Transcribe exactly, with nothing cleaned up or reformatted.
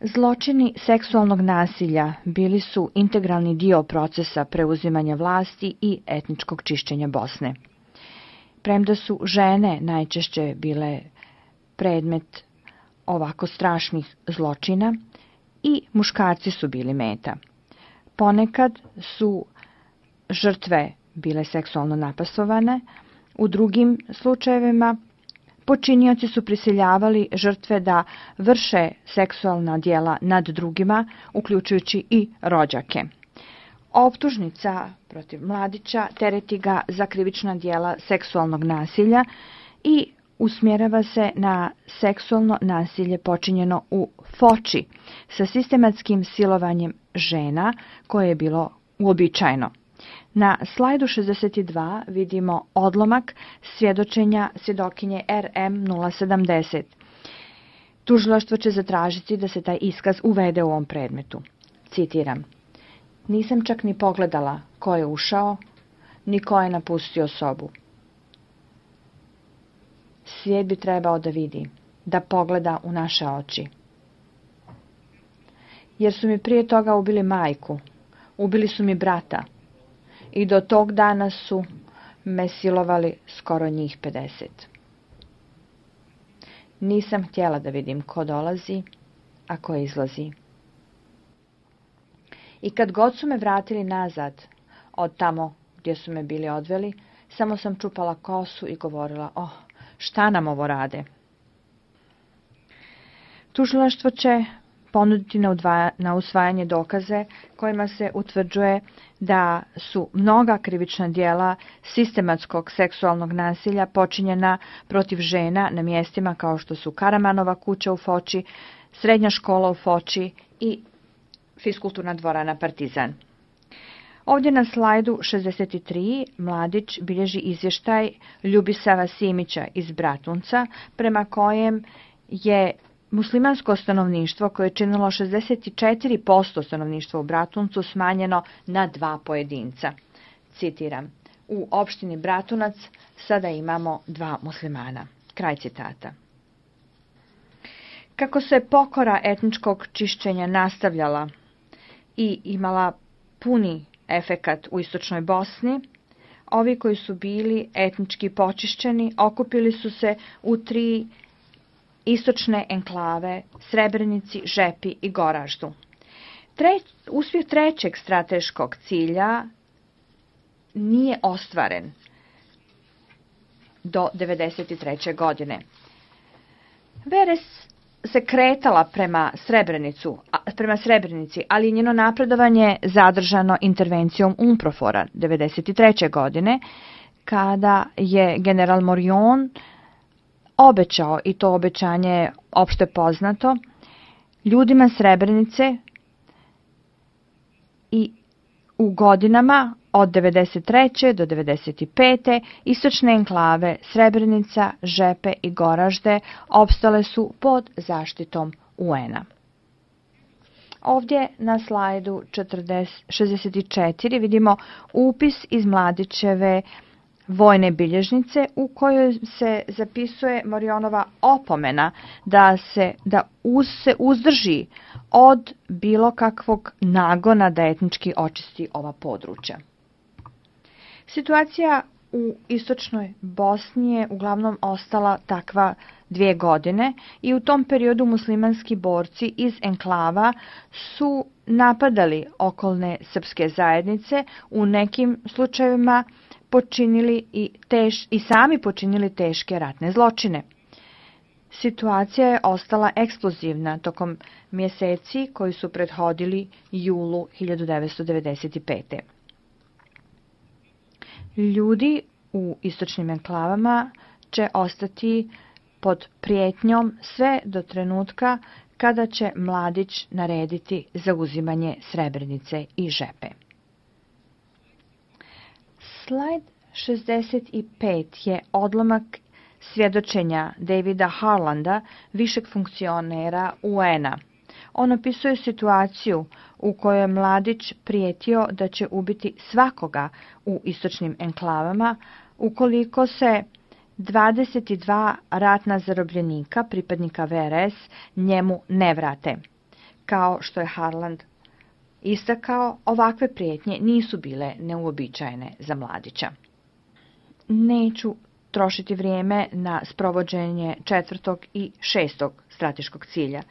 Zločini seksualnog nasilja bili su integralni dio procesa preuzimanja vlasti i etničkog čišćenja Bosne. Premda su žene najčešće bile predmet ovako strašnih zločina, i muškarci su bili meta. Ponekad su žrtve bile seksualno napastovane, u drugim slučajevima počinioci su prisiljavali žrtve da vrše seksualna djela nad drugima, uključujući i rođake. Optužnica protiv Mladića tereti ga za krivična djela seksualnog nasilja i usmjerava se na seksualno nasilje počinjeno u Foči sa sistematskim silovanjem žena koje je bilo uobičajeno. Na slajdu šezdeset dva vidimo odlomak svjedočenja svjedokinje R M nula sedamdeset. Tužilaštvo će zatražiti da se taj iskaz uvede u ovom predmetu. Citiram: "Nisam čak ni pogledala ko je ušao, ni ko je napustio sobu. Svijet bi trebao da vidi, da pogleda u naše oči. Jer su mi prije toga ubili majku, ubili su mi brata i do tog dana su me silovali skoro njih pedeset. Nisam htjela da vidim ko dolazi, a ko izlazi. I kad god su me vratili nazad od tamo gdje su me bili odveli, samo sam čupala kosu i govorila: oh, šta nam ovo rade?" Tužilaštvo će ponuditi na, udvaja, na usvajanje dokaze kojima se utvrđuje da su mnoga krivična djela sistematskog seksualnog nasilja počinjena protiv žena na mjestima kao što su Karamanova kuća u Foči, srednja škola u Foči i fiskulturna dvorana Partizan. Ovdje na slajdu šezdeset tri Mladić bilježi izvještaj Ljubisava Simića iz Bratunca, prema kojem je muslimansko stanovništvo, koje je činilo šezdeset četiri posto stanovništva u Bratuncu, smanjeno na dva pojedinca. Citiram: "U opštini Bratunac sada imamo dva muslimana." Kraj citata. Kako se pokora etničkog čišćenja nastavljala i imala puni efekat u istočnoj Bosni, ovi koji su bili etnički počišćeni okupili su se u tri istočne enklave: Srebrenici, Žepi i Goraždu. Treć, uspjeh trećeg strateškog cilja nije ostvaren do devedeset treće. godine. Veres se kretala prema, Srebrenicu, prema Srebrenici, ali je njeno napredovanje zadržano intervencijom Umprofora devedeset treće. godine, kada je general Morion obećao, i to obećanje je opšte poznato, ljudima Srebrenice i u godinama od devedeset treće. do devedeset pete. istočne enklave Srebrenica, Žepe i Goražde opstale su pod zaštitom U N-a. Ovdje na slajdu šezdeset četiri vidimo upis iz Mladićeve vojne bilježnice u kojoj se zapisuje Morionova opomena da se, da uz, se uzdrži od bilo kakvog nagona da etnički očisti ova područja. Situacija u istočnoj Bosni je uglavnom ostala takva dvije godine i u tom periodu muslimanski borci iz enklava su napadali okolne srpske zajednice, u nekim slučajevima počinili i, teš, i sami počinili teške ratne zločine. Situacija je ostala eksplozivna tokom mjeseci koji su prethodili julu hiljadu devetsto devedeset pete. Ljudi u istočnim enklavama će ostati pod prijetnjom sve do trenutka kada će Mladić narediti zauzimanje Srebrenice i Žepe. Slajd šezdeset pet je odlomak svjedočenja Davida Harlanda, višeg funkcionera U N-a. On opisuje situaciju u kojoj je Mladić prijetio da će ubiti svakoga u istočnim enklavama ukoliko se dvadeset dva ratna zarobljenika, pripadnika V R S, njemu ne vrate. Kao što je Harland istakao, ovakve prijetnje nisu bile neuobičajene za Mladića. Neću trošiti vrijeme na sprovođenje četvrtog i šestog strateškog cilja.